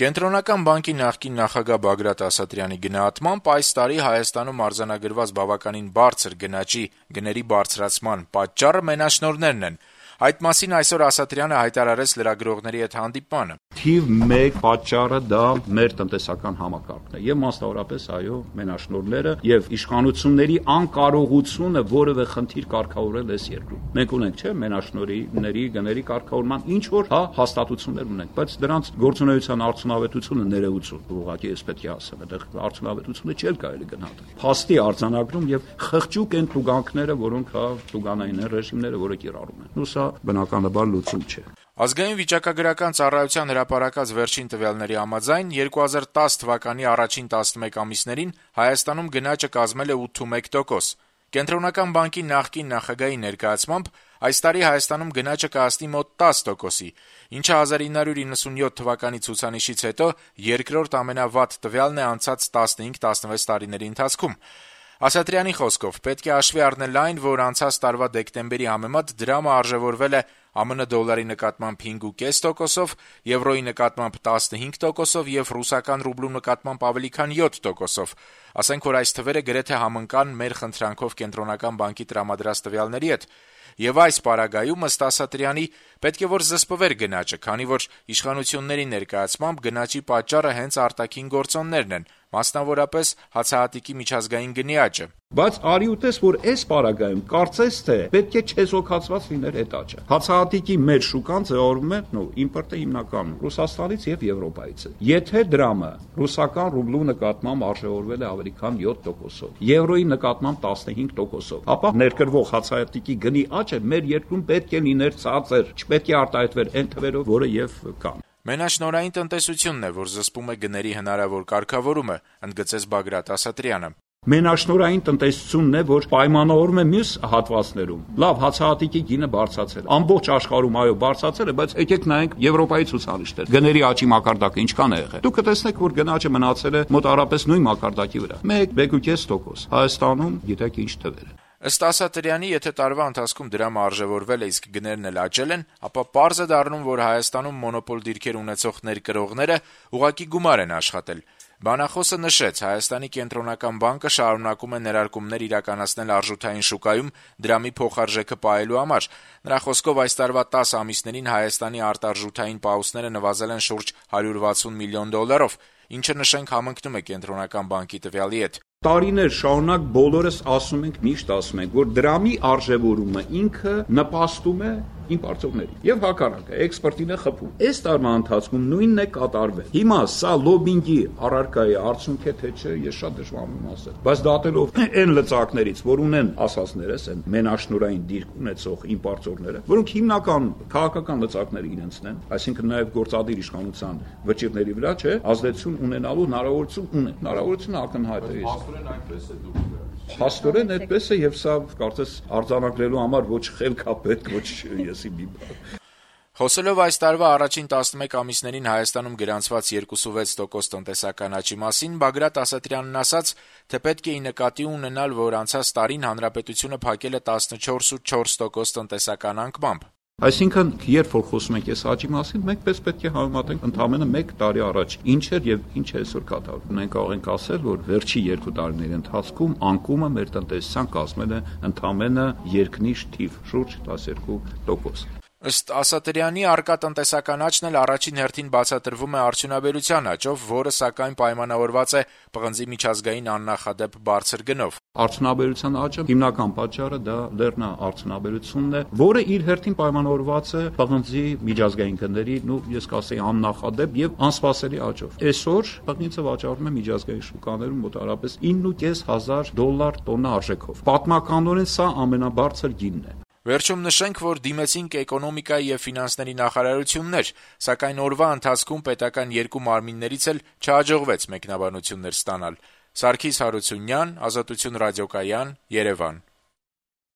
Կենտրոնական բանկի նախկին նախագահ Բագրատ Ասատրյանի գնահատմամբ այս տարի Հայաստանում արձանագրված բավականին բարձր գնաճի գների բարձրացման պատճառը մենաշնորհներն են։ Այդ մասին այսօր Ասատրյանը հայտարարեց լրագրողների հետ հանդիպմանը։ Թիվ 1 պատճառը դա մեր տնտեսական համակարգն է եւ մասնավորապես մենաշնորհները եւ իշխանությունների անկարողությունը որևէ խնդիր կարգավորել այս երկրում։ Մենք ունենք, չէ՞, մենաշնորհների գների կարգավորման ինչ որ հաստատություններ ունենք, բայց դրանց գործունեության արդյունավետությունը ներեություն, ուղղակի էս պետք է ասեմ, այդտեղ արդյունավետությունը չէ կարելի գնահատել։ Փաստի արձանագրում եւ խղճուկ են տուգանքները, որոնք տուգանային ռեժիմները, որը կիրառում են։ Ու սա բնականաբար լուծում չէ։ Ազգային վիճակագրական ծառայության հրապարակած վերջին տվյալների համաձայն 2010 թվականի առաջին 11 ամիսներին Հայաստանում գնաճը կազմել է 8.1%։ Կենտրոնական բանկի նախկին նախագահի ներկայացմամբ այս տարի Հայաստանում գնաճը կհասնի մոտ 10%-ի, ինչը 1997 թվականի ցուցանիշից հետո երկրորդ ամենավատ տվյալն է անցած 15-16 տարիների ընթացքում։ Ասատրյանի խոսքով պետք է հաշվի առնել այն, որ անցած տարվա դեկտեմբերի համեմատ դրամը արժեւորվել է ԱՄՆ դոլարի նկատմամբ 5.5%-ով, եվրոյի նկատմամբ 15%-ով եւ ռուսական ռուբլու նկատմամբ ավելի քան 7%-ով։ Ասենք որ այս թվերը գրեթե համընկան մեր խնդրանքով Կենտրոնական բանկի տրամադրած տվյալների հետ։ Եվ այս պարագայում ըստ Ասատրյանի պետք է որ զսպվեր գնաճը, քանի որ իշխանությունների ներկայացմամբ գնաճի պատճառը հենց արտաքին գործոններն են, մասնավորապես հացահատիկի միջազգային գնի աճը։ Բայց արի ու տես, որ այս պարագայում կարծես թե պետք է չեզոքացված լիներ այդ աճը։ Հացահատիկի մեր շուկան ձևավորվում է, իմպորտը հիմնականում Ռուսաստանից եւ Եվրոպայից է։ Եթե դրամը ռուսական ռուբլու նկատմամբ արժեվորվել է ավելի քան 7%-ով, եվրոյի նկատմամբ 15%-ով, ապա ներկրվող հացահատիկի գնի աճը մեր երկրում պետք է լիներ ցածր, չպետք է արտահայտվեր այն թվերով, որը եւ կան։ Մենաշնորհային տնտեսությունն է, որ զսպում է գների հնարավոր կարգավորումը, ընդգծեց Բագրատ Ասատրյանը։ Մենաշնորհային տնտեսությունն է, որ պայմանավորում է մյուս հատվածներում։ Լավ, հացահատիկի գինը բարձրացել։ Ամբողջ աշխարհում բարձրացել է, բայց եկեք նայենք Եվրոպայի ցուցանիշներ։ Գների աճի մակարդակը ինչքան է եղել։ Դուք կտեսնեք, որ գնաճը մնացել է մոտավորապես նույն մակարդակի վրա։ 1.5%։ Հայաստանում գիտեք ինչ թվեր են։ Ըստ Ասատրյանի, եթե տարվա ընթացքում դրամը արժեվորվել է, իսկ գներն էլ աճել են, ապա պարզ է դառնում, որ Հայաստանում մոնոպոլ դիրքեր ունեցող ներկրողները ուղղակի գումար են աշխատել։ Բանախոսը նշեց, Հայաստանի կենտրոնական բանկը շարունակում է ներարկումներ իրականացնել արժութային շուկայում դրամի փոխարժեքը պահելու համար։ Նրա խոսքով այս տարվա 10 ամիսներին Հայաստանի արտարժութային պահուստները նվազել են շուրջ $160 միլիոն, ինչը նշենք համընկնում է կենտրոնական բանկի տվյալի հետ։ Տարիներ շարունակ բոլորս միշտ ասում ենք, որ դրամի արժևորումը ինքը նպաստում է իմպորտորներին եւ հակառակը էքսպորտին է խփում։ Այս տարվա ընթացքում նույնն է կատարվել։ Հիմա սա լոբինգի առարկայի արդյունք է թե չէ, ես շատ դժվար եմ ասել։ Բայց դատելով այն լծակներից, որ ունեն ասածներս, այն մենաշնորհային դիրք ունեցող իմպորտորները, որոնք հիմնական քաղաքական լծակները իրենցն են, այսինքն նաեւ գործադիր իշխանության վճիռների վրա, չէ, ազդեցություն ունենալու հնարավորություն ունեն։ Հնարավորությունը ակնհայտ է։ Փաստորեն այդպես է եւ սա կարծես արձանագրելու համար ոչ խելք է պետք, ոչ եսի մի բան։ Խոսելով այս տարվա առաջին 11 ամիսներին Հայաստանում գրանցված 2.6% տնտեսական աճի մասին, Բագրատ Ասատրյանն ասաց, թե պետք է նկատի ունենալ, որ անցած տարին հանրապետությունը փակել է 14.4% տնտեսական անկմամբ։ Այսինքն, երբ որ խոսում ենք այս աճի մասին, մենք պետք է համեմատենք ընդամենը 1 տարի առաջ ինչ էր եւ ինչ է այսօր կատարվում։ Մենք կարող ենք ասել, որ վերջի 2 տարիների ընթացքում անկումը մեր տնտեսության կազմել է ընդամենը երկնիշ թիվ, շուրջ 12%։ Ըստ Ասատրյանի, առկա տնտեսական աճն էլ առաջին հերթին բացատրվում է արդյունաբերության աճով, որը սակայն պայմանավորված է պղնձի միջազգային աննախադեպ բարձր գնով։ Արդյունաբերության աճը հիմնական պատճառը դա լեռնաարդյունաբերությունն է, որը իր հերթին պայմանավորված է պղնձի միջազգային գների, ես կասեի աննախադեպ եւ անսպասելի աճով։ Այսօր պղնձը վաճառվում է միջազգային շուկաներում մոտավորապես $9,500 տոննա արժեքով։ Պատմականորեն սա ամենաբարձր գինն է։ Վերջում նշենք, որ դիմեցինք էկոնոմիկայի եւ ֆինանսների նախարարություններ, սակայն օրվա ընթացքում պետական երկու մարմիններից էլ չհաջողվեց մեկնաբանություններ ստանալ։ Սարգիս Հարությունյան, Ազատություն ռադիոկայան, Երևան։